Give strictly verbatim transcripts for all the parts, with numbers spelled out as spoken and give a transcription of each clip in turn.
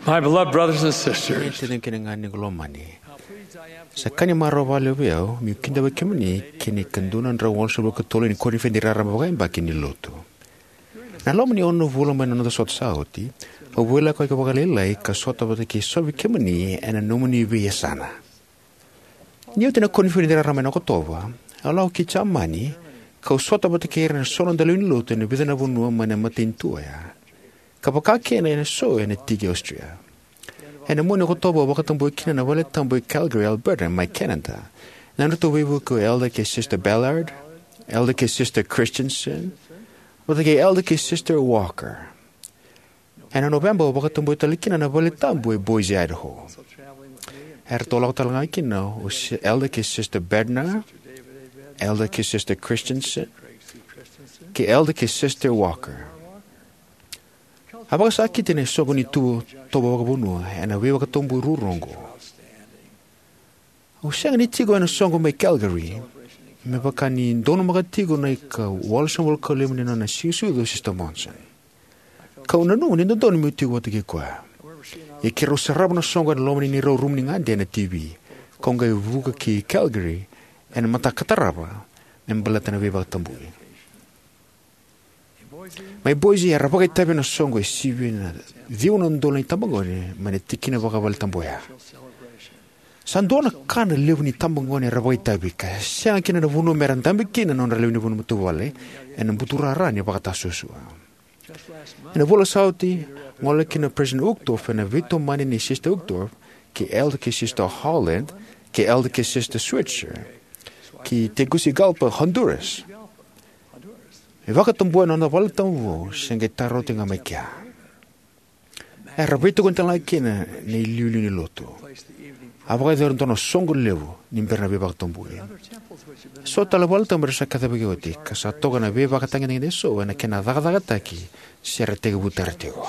My beloved brothers and sisters, tacina kei na ganequ lomani, sa ka ni marau vakalevu vei au meu kidavaki kemuni ki na ikaduadrau walusagavulu ka tolu ni koniferedi raraba vakayabaki ni Lotu. Na loma ni ono na vula mai na noda sota sa oti, au veilakoyaki vakalailai ka sota vata kei so vei kemuni ena nomuni veiyasana. Ni oti na koniferedi raraba ena Okotova, au lako ki Jamani, kau sota vata kei ira na so noda lewe ni Lotu ena vica na vanua mai na matanitu oya, ka vakakina ena so ena tiki Austria. Ena mua ni Okotova au vakatabuya kina na Valetabu e Calgary, Alberta, mai Canada. Na nodratou veivuke o Elder kei Sister Ballard, Elder kei Sister Christensen, vata kei Elder kei Sister Walker. Ena Noveba au vakatabuya tale kina na Valetabu e Boise, Idaho. Eratou lako tale ga kina o Si-, Elder kei Sister Bednar, Elder kei Sister Christensen, kei Elder kei Sister Walker. A vakasakiti ena soqo ni tu-, tovo vakavanua ena veivakatabu ruarua oqo. Au sega ni tiko ena soqo mai Calgary, me vaka ni donumaka tiko na ika walusagavulu ka lima ni nona siga sucu o Sister Monson. Kau nanuma ni dodonu meu tiko vata kei koya. Ia keirau sarava na soqo ena loma ni neirau rumu ni gade ena T V. Kau qai vuka ki Calgary ena mataka ka tarava me baleta na veivakatabui. Mai Boise era vakaitavi ena soqo e sivia na ciwa na udolu na itabagone mai na tikina vakavaletabu oya. Sa dua na ka na levu ni itabagone era vakaitavi ka sega kina na vanua mera dabe kina na nodra lewe ni vanua matavuvale ena buturara ni vakatasuasua. Ena vula sa oti, gole kina o President Uchtdorf ena veitomani nei Sister Uchtdorf, kei Elder kei Sister Holland, kei Elder kei Sister Switzer, ki Tegucigalpa, Honduras. Me vakatabuya na noda valetabu vou se qai tara oti ga mai kea. Era veitokoni tale ga kina na iliuliu ni Lotu. A vakayacori e dua na soqo levu ni bera na veivakatabui. So tale valetabu era sa kacivaki oti ka sa toka na veivakatagedegede eso ena kena cakacakataki se ra tekivu tara tiko.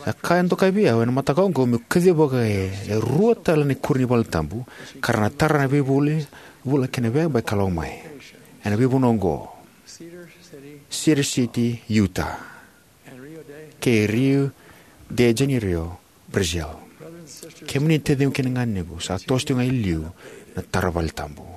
Sa ka e dokai vei au ena mataka oqo meu kacivaka e, e rua tale na ikuri ni valetabu ka ra na tara na veivuli vula kei na veiyabaki ka lako mai. Ena veivanua oqo: Cedar City, Utah, kei Rio de Janeiro, Brazil. Kemuni na taciqu kei na ganequ, sa toso tiko ga e liu na tara valetabu.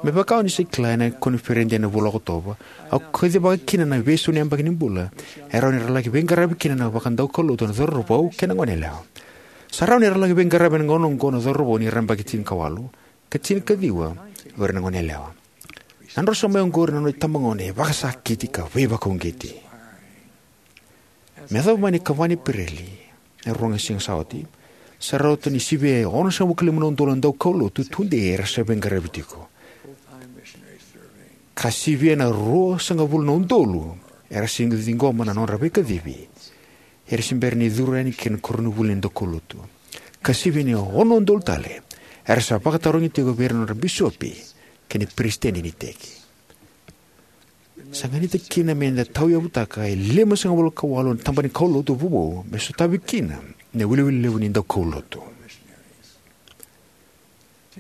Me vaka o ni sa kila, ena koniferedi ena vula o Okotova au kacivaka kina na veisau ni yabaki ni bula e rawa ni ra laki veiqaravi kina na vakadaukaulotu na cauravou kei na goneyalewa. Sa rawa ni ra laki veiqaravi ena gauna oqo na cauravou ni ra yabaki tinikawalu, ka tinikaciwa o ira na goneyalewa. Na nodra so mai oqori na nodra itabagone e vakasakiti ka veivakauqeti. Me yacova mai na ikava ni Epereli, e rua na siga sa oti, sa rauta ni sivia e onosagavulu ka lima na udolu na daukaulotu tudei era sa veiqaravi tiko. Ka sivia na ruasagavulu na udolu era sa ciqoma na nodra veikacivi, era se bera ni curu yani ki na koronivuli ni daukaulotu. Ka sivia ni ono na udolu tale era sa vakatarogi tiko vei ira na nodra bisopi kei na peresitedi ni iteki. Sa ganita kina me da tauyavutaka e limasagavulu ka walu na tabana ni kaulotu vovou me sotavi kina na iwiliwili levu ni daukaulotu.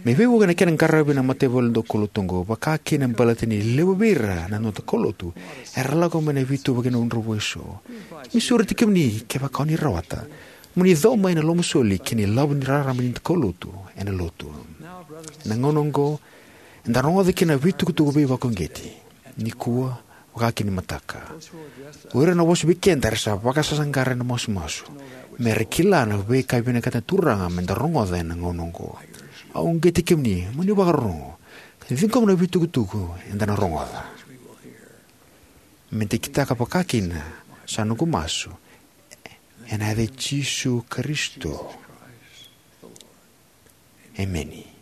Me veivuke na kena qaravi na mataivalu ni daukaulotu oqo, vaka kina baleta ni levu vei ira na noda kaulotu era lako mai na veituvaki ni dravudravua eso, me sureti kemuni, kevaka o ni rawata, mo ni cau mai na lomasoli kei na ilavo ni rarama ni kaulotu ena Lotu. Ena gauna oqo, eda rogoca kina na veitukutuku veivakauqeti nikua, vaka kina ni mataka. O ira na vosa vei keda era sa vakasaqara ena masumasu, me ra kila na veika e vinakata na Turaga me da rogoca ena gauna oqo. Au uqeti kemuni mo ni vakarorogo ka ciqoma na veitukutuku eda na rogoca. Me da kitaka vaka kina, sa noqu masu ena yaca i Jisu Karisito. Emeni.